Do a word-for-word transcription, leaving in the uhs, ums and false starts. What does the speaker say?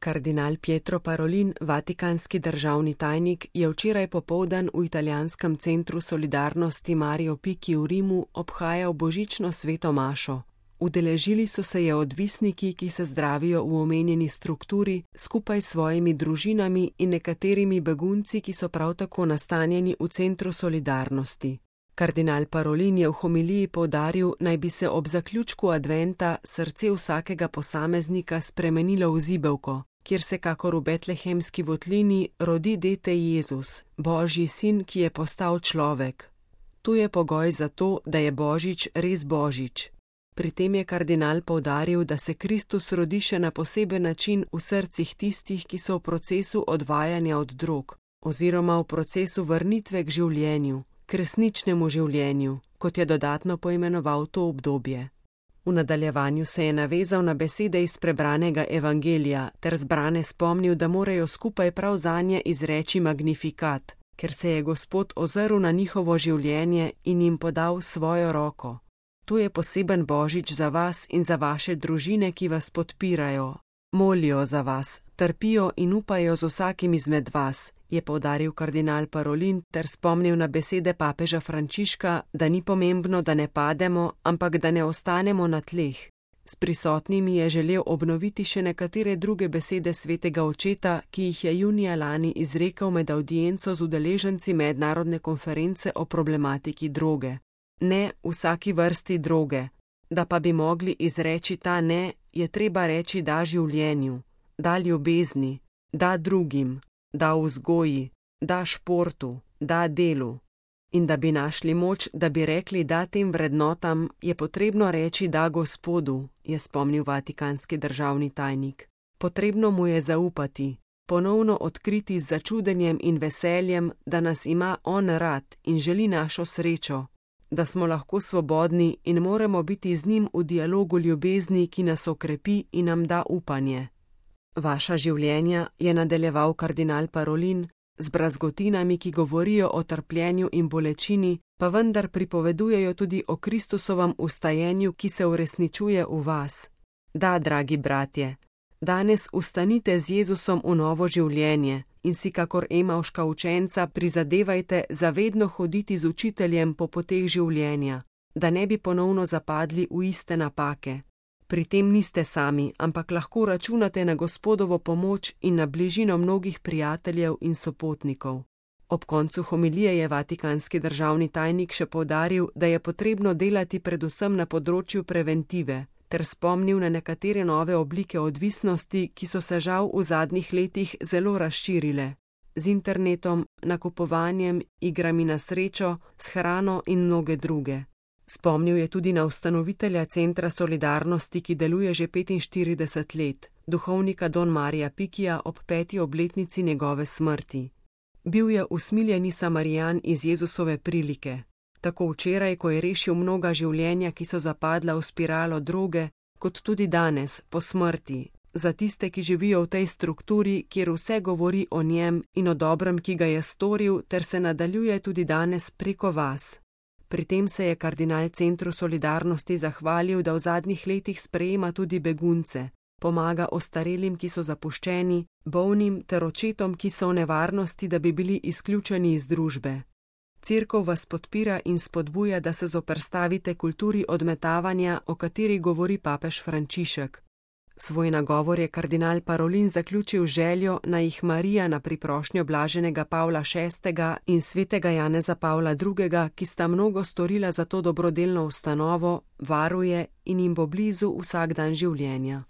Kardinal Pietro Parolin, vatikanski državni tajnik, je včeraj popoldan v italijanskem centru solidarnosti Mario Picchi v Rimu obhajal božično sveto mašo. Udeležili so se je odvisniki, ki se zdravijo v omenjeni strukturi, skupaj s svojimi družinami in nekaterimi begunci, ki so prav tako nastanjeni v centru solidarnosti. Kardinal Parolin je v homiliji poudaril, naj bi se ob zaključku adventa srce vsakega posameznika spremenilo v zibelko, kjer se kakor v betlehemski votlini rodi dete Jezus, Božji sin, ki je postal človek. Tu je pogoj za to, da je Božič res Božič. Pri tem je kardinal poudaril, da se Kristus rodi še na poseben način v srcih tistih, ki so v procesu odvajanja od drog, oziroma v procesu vrnitve k življenju, k resničnemu življenju, kot je dodatno poimenoval to obdobje. V nadaljevanju se je navezal na besede iz prebranega evangelija ter zbrane spomnil, da morajo skupaj prav zanje izreči magnifikat, ker se je Gospod ozrl na njihovo življenje in jim podal svojo roko. To je poseben Božič za vas in za vaše družine, ki vas podpirajo, molijo za vas, trpijo in upajo z vsakim izmed vas, je poudaril kardinal Parolin ter spomnil na besede papeža Frančiška, da ni pomembno, da ne pademo, ampak da ne ostanemo na tleh. S prisotnimi je želel obnoviti še nekatere druge besede svetega očeta, ki jih je junija lani izrekel med avdienco z udeleženci mednarodne konference o problematiki droge. Ne vsaki vrsti droge, da pa bi mogli izreči ta ne, je treba reči da življenju, da ljubezni, da drugim, da vzgoji, da športu, da delu. In da bi našli moč, da bi rekli da tem vrednotam, je potrebno reči da Gospodu, je spomnil vatikanski državni tajnik. Potrebno mu je zaupati, ponovno odkriti z začudenjem in veseljem, da nas ima on rad in želi našo srečo, da smo lahko svobodni in moramo biti z njim v dialogu ljubezni, ki nas okrepi in nam da upanje. Vaša življenja, je nadaljeval kardinal Parolin, z brazgotinami, ki govorijo o trpljenju in bolečini, pa vendar pripovedujejo tudi o Kristusovem vstajenju, ki se uresničuje v vas. Da, dragi bratje, danes vstanite z Jezusom v novo življenje in si kakor emavška učenca prizadevajte zavedno hoditi z učiteljem po poteh življenja, da ne bi ponovno zapadli v iste napake. Pri tem niste sami, ampak lahko računate na Gospodovo pomoč in na bližino mnogih prijateljev in sopotnikov. Ob koncu homilije je vatikanski državni tajnik še poudaril, da je potrebno delati predvsem na področju preventive, ter spomnil na nekatere nove oblike odvisnosti, ki so se žal v zadnjih letih zelo razširile. Z internetom, nakupovanjem, igrami na srečo, s hrano in mnoge druge. Spomnil je tudi na ustanovitelja Centra solidarnosti, ki deluje že petinštirideset let, duhovnika Don Marija Picchija ob peti obletnici njegove smrti. Bil je usmiljeni Samarijan iz Jezusove prilike. Tako včeraj, ko je rešil mnoga življenja, ki so zapadla v spiralo droge, kot tudi danes, po smrti, za tiste, ki živijo v tej strukturi, kjer vse govori o njem in o dobrem, ki ga je storil, ter se nadaljuje tudi danes preko vas. Pri tem se je kardinal Centru solidarnosti zahvalil, da v zadnjih letih sprejema tudi begunce, pomaga ostarelim, ki so zapuščeni, bolnim ter očetom, ki so v nevarnosti, da bi bili izključeni iz družbe. Cerkev vas podpira in spodbuja, da se zoperstavite kulturi odmetavanja, o kateri govori papež Frančišek. Svoj nagovor je kardinal Parolin zaključil željo, naj jih Marija na priprošnjo blaženega Pavla šestega in svetega Janeza Pavla drugega, ki sta mnogo storila za to dobrodelno ustanovo, varuje in jim bo blizu vsak dan življenja.